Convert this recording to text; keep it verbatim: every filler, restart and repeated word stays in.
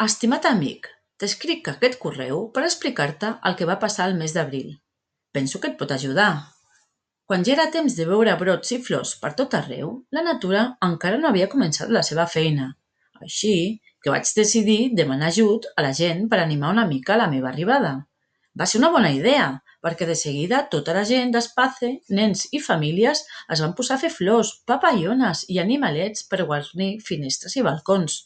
Estimat amic, t'escric aquest correu per explicar-te el que va passar el mes d'abril. Penso que et pot ajudar. Quan ja era temps de veure brots i flors per tot arreu, la natura encara no havia començat la seva feina. Així que vaig decidir demanar ajut a la gent per animar una mica la meva arribada. Va ser una bona idea, perquè de seguida tota la gent d'Espace, nens i famílies, es van posar a fer flors, papallones i animalets per guarnir finestres i balcons.